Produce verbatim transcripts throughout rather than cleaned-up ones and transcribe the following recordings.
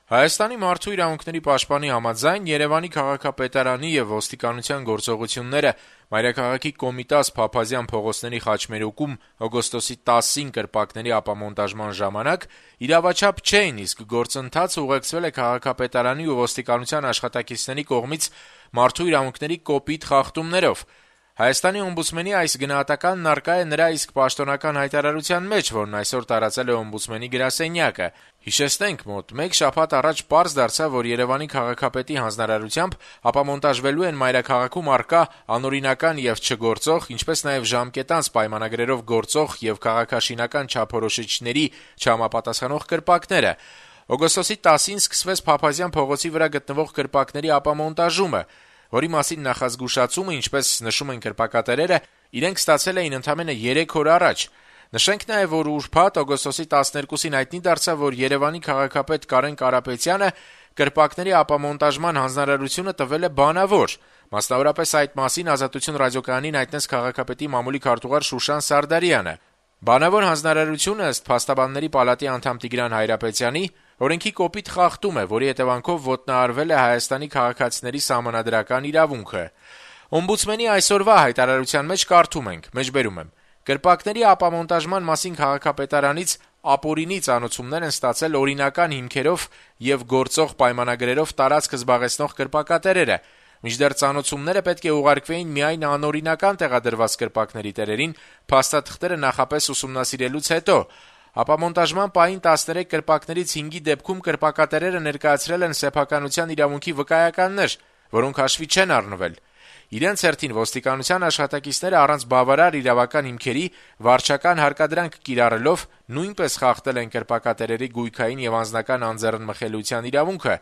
Հայաստանի մարդու իրավունքների պաշտպանի համաձայն Երևանի քաղաքապետարանի եւ ոստիկանության գործողությունները մայրաքաղաքի Կոմիտաս Փափազյան փողոցների խաչմերուկում օգոստոսի տասին կրպակների ապամոնտաժման ժամանակ իրավաչափ չէին, իսկ գործընթացը ուղեկցվել է քաղաքապետարանի ու ոստիկանության աշխատակիցների կողմից մարդու իրավունքների կոպիտ խախտումներով։ Հայաստանի օմբուդսմենի այս գնահատականն առկա է նրա իսկ պաշտոնական հայտարարության մեջ, որն այսօր տարածել է օմբուդսմենի գրասենյակը։ Հիշեցնենք, մոտ մեկ շաբաթ առաջ պարզ դարձավ, որ Երևանի քաղաքապետի հանձնարարությամբ ապամոնտաժվելու են մայրաքաղաքում առկա անօրինական եւ չգործող, ինչպես նաեւ ժամկետանց պայմանագրերով գործող եւ քաղաքաշինական չափորոշիչների չհամապատասխանող կրպակները։ Օգոստոսի տասին սկսվեց Փափազյան փողոցի վրա գտնվող կրպակների ապամոնտաժումը, որի մասին նախազգուշացումը, ինչպես նշում են կրպակատերերը, իրենք ստացել էին ընդամենը երեք օր առաջ։ Նշենք նաև, որ ուրբաթ օգոստոսի տասներկուսին հայտնի դարձավ, որ Երևանի քաղաքապետ Կարեն Կարապետյանը կրպակների ապամոնտաժման հանձնարարությունը տվել է բանավոր։ Մասնավորապես այդ մասին Ազատություն ռադիոկայանին հայտնեց քաղաքապետի մամուլի քարտուղար Շուշան Սարդարյանը։ Բանավոր հանձնարարությունը, ըստ Փաստաբանների պալատի անդամ Տիգրան Հայրապետյանի, օրենքի կոպիտ խախտում է, որի հետևանքով ոտնահարվել է Հայաստանի քաղաքացիների սահմանադրական իրավունքը։ Օմբուդսմենի այսօրվա հայտարարության մեջ կարդում ենք. մեջբերում եմ. Կրպակների ապամոնտաժման մասին քաղաքապետարանից ապօրինի ծանուցումներ են ստացել օրինական հիմքերով եւ գործող պայմանագրերով տարածք զբաղեցնող կրպակատերերը, մինչդեռ ծանուցումները պետք է ուղարկվեին միայն անօրինական տեղադրված կրպակների տերերին, փաստաթղթերը նախապես ուսումնասիրելուց հետո։ Ապամոնտաժման պահին տասներեք կրպակներից հինգի դեպքում կրպակատերերը ներկայացրել են սեփականության իրավունքի վկայականներ, որոնք հաշվի չեն առնվել։ Իրենց հերթին ոստիկանության աշխատակիցները առանց բավարար իրավական հիմքերի վարչական հարկադրանք կիրառելով նույնպես խախտել են կրպակատերերի գույքային եւ անձնական անձեռնմխելիության իրավունքը։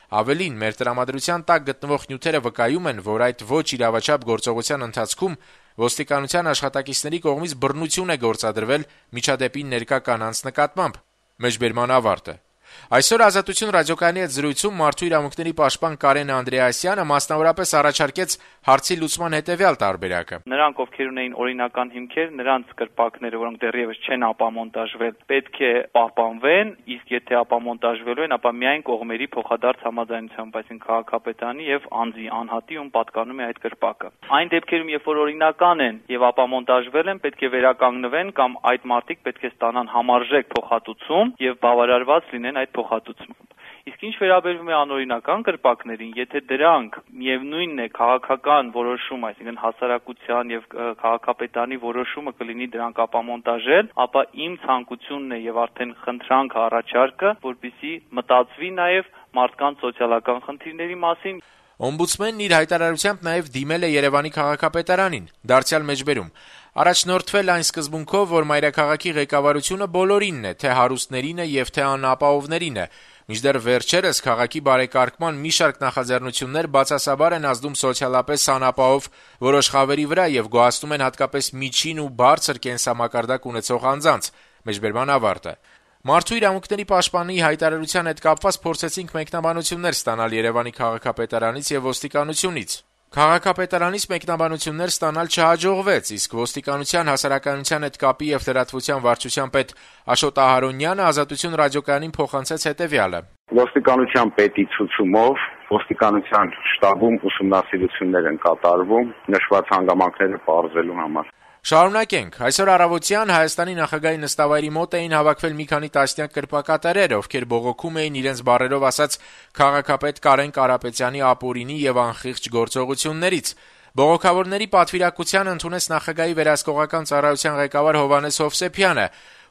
Ավելին, մեր տրամադրության տակ գտնվող նյութերը վկայում են, որ այդ ոչ իրավաչափ գործողության ընթացքում ոստիկանության աշխատակիցների կողմից բռնություն է գործադրվել միջադեպին ներկա կանանց նկատմամբ։ Մեջբերման ավարտը։ Այսօր Ազատություն ռադիոկայանի հետ զրույցում մարդու իրավունքների պաշտպան Կարեն Անդրեասյանը մասնավորապես առաջարկեց հարցի լուծման հետևյալ տարբերակը. Նրանք, ովքեր ունեին օրինական հիմքեր, նրանց կրպակները, որոնք դեռևս չեն ապամոնտաժվել, պետք է պահպանվեն, իսկ եթե ապամոնտաժվելու են, ապա միայն կողմերի փոխադարձ համաձայնությամբ, այսինքն քաղաքապետարանի եւ անձի անհատի, ում պատկանում է այդ կրպակը։ Այն դեպքերում, երբ որ օրինական են եւ ապամոնտաժվել են, պետք է վերականգնվեն կամ այդ մարդիկ պետք է ստանան համարժեք փոխհատուցում եւ բավարարված լինեն այդ փոխհատուցմամբ։ Իսկ ինչ վերաբերվում է անօրինական կրպակներին, եթե դրանք միևնույնն է քաղաքական որոշում, այսինքն հասարակության եւ քաղաքապետարանի որոշումը կլինի դրանք ապամոնտաժել, ապա իմ ցանկությունն է եւ արդեն խնդրանքը առաջարկը, որպեսզի մտածվի նաեւ մարդկանց սոցիալական խնդիրների մասին։ Օմբուդսմենն իր հայտարարությամբ նաև դիմել է Երևանի քաղաքապետարանին, դարձյալ մեջբերում. առաջնորդվել այն սկզբունքով, որ մայրաքաղաքի ղեկավարությունը բոլորինն է, թե հարուստներինը եւ թե անապահովներինը, մինչդեռ վերջերս քաղաքի բարեկարգման մի շարք նախաձեռնություններ բացասաբար են ազդում սոցիալապես անապահով որոշ խավերի վրա եւ գոհացնում են հատկապես միջին ու բարձր կենսամակարդակ ունեցող անձանց։ Մեջբերման ավարտը։ Մարդու իրավունքների պաշտպանի հայտարարության հետ կապված փորձեցինք մեկնաբանություններ ստանալ Երևանի քաղաքապետարանից եւ ոստիկանությունից։ Քաղաքապետարանից մեկնաբանություններ ստանալ չհաջողվեց, իսկ ոստիկանության հասարակայնության հետ կապի եւ լրատվության վարչության պետ Աշոտ Ահարոնյանը Ազատություն ռադիոկայանին փոխանցեց հետեւյալը. Ոստիկանության պետի ցուցումով ոստիկանության շտաբում ուսումնասիրություններ են կատարվում նշված հանգամանքները պարզելու համար։ Շարունակենք. Այսօր առավոտյան Հայաստանի նախագահի նստավայրի մոտ էին հավաքվել մի քանի տասնյակ կրպակատերեր, ովքեր բողոքում էին իրենց բառերով ասած քաղաքապետ Կարեն Կարապետյանի ապօրինի եւ անխիղճ գործողություններից։ Բողոքավորների պատվիրակության ընդունեց նախագահի վերահսկողական ծառայության ղեկավար Հովհաննես Հովսեփյանը,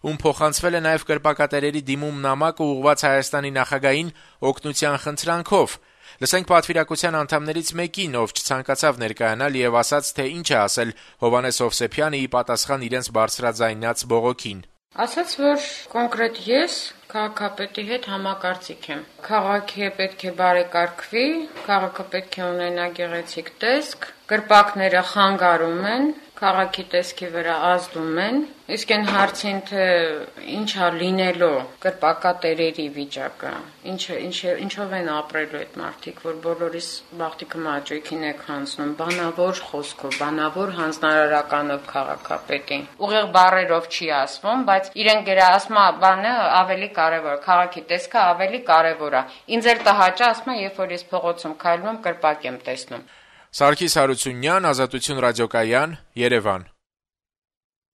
ում փոխանցվել է նաեւ կրպակատերերի դիմում նամակը ուղղված Հայաստանի նախագահին օգնության խնդրանքով։ Լսենք պատվիրակության անդամներից մեկին, ով չցանկացավ ներկայանալ եւ ասաց, թե ինչ է ասել Հովհաննես Հովսեփյանը ի պատասխան իրենց բարձրաձայնած բողոքին։ Ասաց, որ կոնկրետ ես քաղաքապետի հետ համակարծիք եմ։ Քաղաքը պետք է բարեկարգվի, քաղաքը պետք է ունենա գեղեցիկ տեսք, կրպակները խանգարում են, քաղաքի տեսքի վրա ազդում են, իսկ այն հարցին, թե ինչա լինելու կրպակատերերի վիճակը, ինչը, ինչը, ինչով են ապրելու այդ մարդիկ, որ բոլորիս բախտիքը մաճույքին եք հանձնում, բանավոր խոսքով, բանավոր հանձնարարականով քաղաքապետին։ Ուղիղ բառերով չի ասվում, բայց իրեն գերասմա բանը ավելի կարևոր, քաղաքի տեսքը ավելի կարևոր է։ Ինձ էլ տհաճ է, ասում եմ, երբ որ ես փողոցում քայլում եմ, կրպակ եմ տեսնում։ Սարգիս Հարությունյան, Ազատություն ռադիոկայան, Երևան։